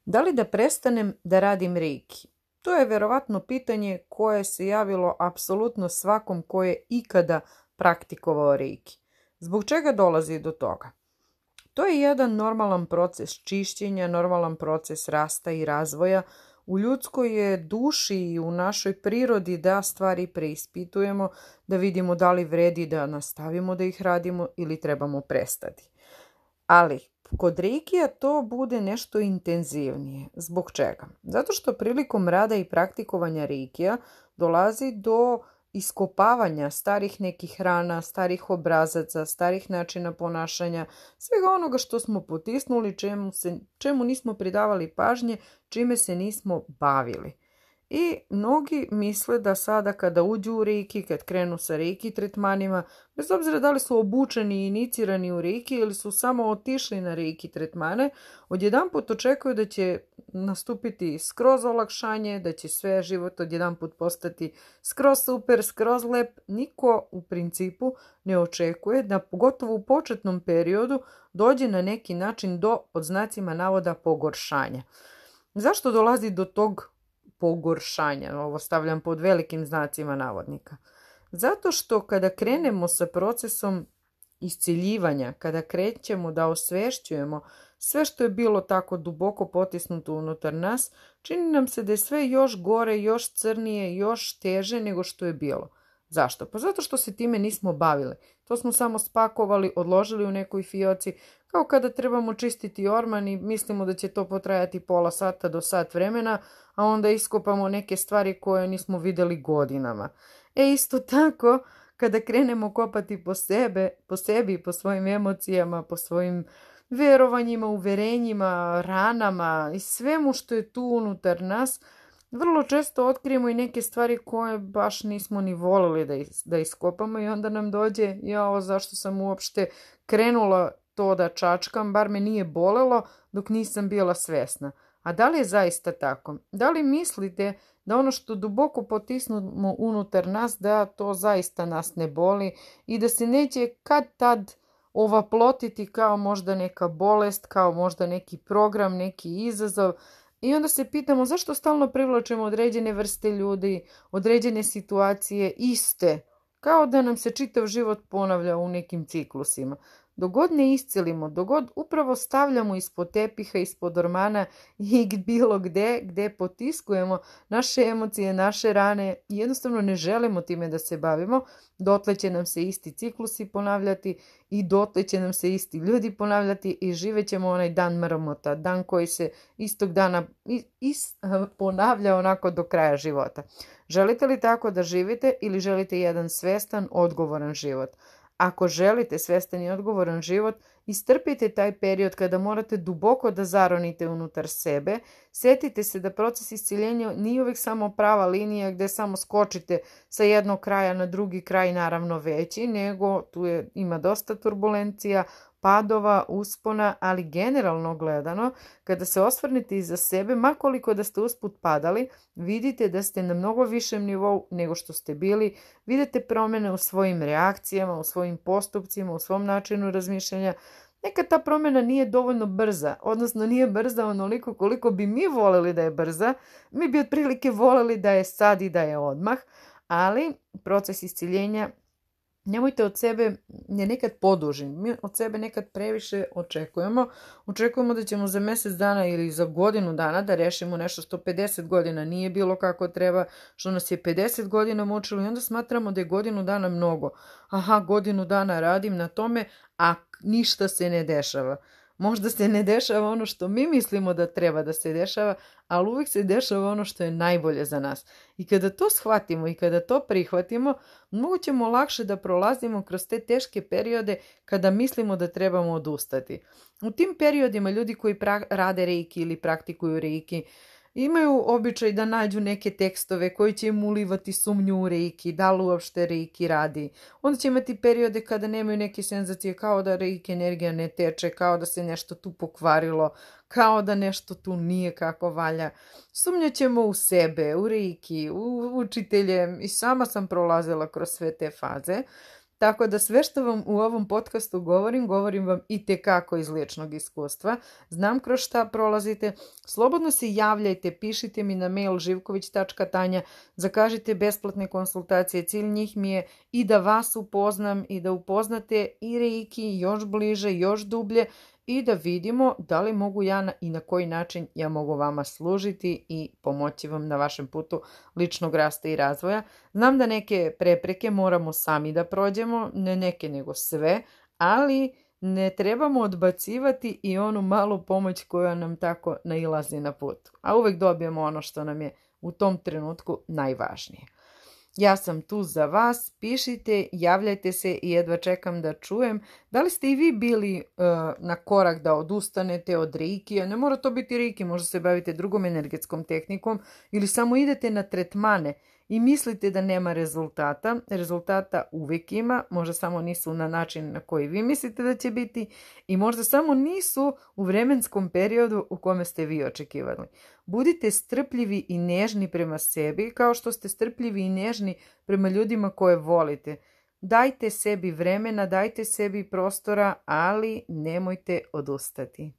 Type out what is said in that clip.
Da li da prestanem da radim reiki? To je verovatno pitanje koje se javilo apsolutno svakom ko je ikada praktikovao reiki. Zbog čega dolazi do toga? To je jedan normalan proces čišćenja, normalan proces rasta i razvoja. U ljudskoj je duši i u našoj prirodi da stvari preispitujemo, da vidimo da li vredi da nastavimo da ih radimo ili trebamo prestati. Ali kod reikija to bude nešto intenzivnije. Zbog čega? Zato što prilikom rada i praktikovanja reikija dolazi do iskopavanja starih nekih rana, starih obrazaca, starih načina ponašanja, svega onoga što smo potisnuli, čemu nismo pridavali pažnje, čime se nismo bavili. I mnogi misle da sada kada uđu u reiki, kad krenu sa reiki tretmanima, bez obzira da li su obučeni i inicirani u reiki ili su samo otišli na reiki tretmane, odjedanput očekuju da će nastupiti skroz olakšanje, da će sve život odjedanput postati skroz super, skroz lep. Niko u principu ne očekuje da pogotovo u početnom periodu dođe na neki način do, pod znacima navoda, pogoršanja. Zašto dolazi do tog pogoršanja? Ovo stavljam pod velikim znacima navodnika. Zato što kada krenemo sa procesom isciljivanja, kada krećemo da osvešćujemo sve što je bilo tako duboko potisnuto unutar nas, čini nam se da je sve još gore, još crnije, još teže nego što je bilo. Zašto? Pa zato što se time nismo bavili. To smo samo spakovali, odložili u nekoj fioci, kao kada trebamo čistiti orman i mislimo da će to potrajati pola sata do sat vremena, a onda iskopamo neke stvari koje nismo vidjeli godinama. Isto tako, kada krenemo kopati po sebi, po svojim emocijama, po svojim verovanjima, uverenjima, ranama i svemu što je tu unutar nas, vrlo često otkrijemo i neke stvari koje baš nismo ni volili da iskopamo i onda nam dođe, zašto sam uopšte krenula to da čačkam, bar me nije bolelo dok nisam bila svesna. A da li je zaista tako? Da li mislite da ono što duboko potisnemo unutar nas, da to zaista nas ne boli i da se neće kad tad ovaplotiti kao možda neka bolest, kao možda neki program, neki izazov? I onda se pitamo zašto stalno privlačimo određene vrste ljudi, određene situacije iste, kao da nam se čitav život ponavlja u nekim ciklusima. Dok god ne iscelimo, dok god upravo stavljamo ispod tepiha, ispod ormana i bilo gde potiskujemo naše emocije, naše rane i jednostavno ne želimo time da se bavimo, dotle će nam se isti ciklusi ponavljati i dotle će nam se isti ljudi ponavljati i živet ćemo onaj dan mrmota, dan koji se istog dana ponavlja onako do kraja života. Želite li tako da živite ili želite jedan svestan, odgovoran život? Ako želite svestan i odgovoran život, istrpite taj period kada morate duboko da zaronite unutar sebe. Sjetite se da proces isciljenja nije uvijek samo prava linija gdje samo skočite sa jednog kraja na drugi kraj, naravno veći, nego tu ima dosta turbulencija, padova, uspona, ali generalno gledano, kada se osvrnete iza sebe, makoliko da ste usput padali, vidite da ste na mnogo višem nivou nego što ste bili, vidite promjene u svojim reakcijama, u svojim postupcima, u svom načinu razmišljanja. Nekad ta promjena nije dovoljno brza, odnosno nije brza onoliko koliko bi mi voljeli da je brza, mi bi otprilike voljeli da je sad i da je odmah, ali proces isciljenja nemojte od sebe je nekad poduži. Mi od sebe nekad previše očekujemo. Očekujemo da ćemo za mjesec dana ili za godinu dana da rešimo nešto što 50 godina nije bilo kako treba, što nas je 50 godina mučilo i onda smatramo da je godinu dana mnogo. Godinu dana radim na tome, a ništa se ne dešava. Možda se ne dešava ono što mi mislimo da treba da se dešava, ali uvijek se dešava ono što je najbolje za nas. I kada to shvatimo i kada to prihvatimo, mnogo ćemo lakše da prolazimo kroz te teške periode kada mislimo da trebamo odustati. U tim periodima ljudi koji rade reiki ili praktikuju reiki, imaju običaj da nađu neke tekstove koji će im ulivati sumnju u reiki, da li uopšte reiki radi. Onda će imati periode kada nemaju neke senzacije, kao da reiki energija ne teče, kao da se nešto tu pokvarilo, kao da nešto tu nije kako valja. Sumnjaćemo u sebe, u reiki, u učitelje i sama sam prolazila kroz sve te faze. Tako da sve što vam u ovom podcastu govorim vam i tekako iz ličnog iskustva. Znam kroz šta prolazite. Slobodno se javljajte, pišite mi na mail živković.tanja, zakažite besplatne konsultacije. Cilj njih mi je i da vas upoznam i da upoznate i reiki još bliže, još dublje i da vidimo da li mogu ja i na koji način ja mogu vama služiti i pomoći vam na vašem putu ličnog rasta i razvoja. Znam da neke prepreke moramo sami da prođemo, ne neke nego sve, ali ne trebamo odbacivati i onu malu pomoć koja nam tako nailazi na put. A uvek dobijemo ono što nam je u tom trenutku najvažnije. Ja sam tu za vas, pišite, javljajte se i jedva čekam da čujem da li ste i vi bili na korak da odustanete od reikija. Ne mora to biti reiki, možda se bavite drugom energetskom tehnikom ili samo idete na tretmane i mislite da nema rezultata. Rezultata uvijek ima, možda samo nisu na način na koji vi mislite da će biti i možda samo nisu u vremenskom periodu u kome ste vi očekivali. Budite strpljivi i nežni prema sebi kao što ste strpljivi i nežni prema ljudima koje volite. Dajte sebi vremena, dajte sebi prostora, ali nemojte odustati.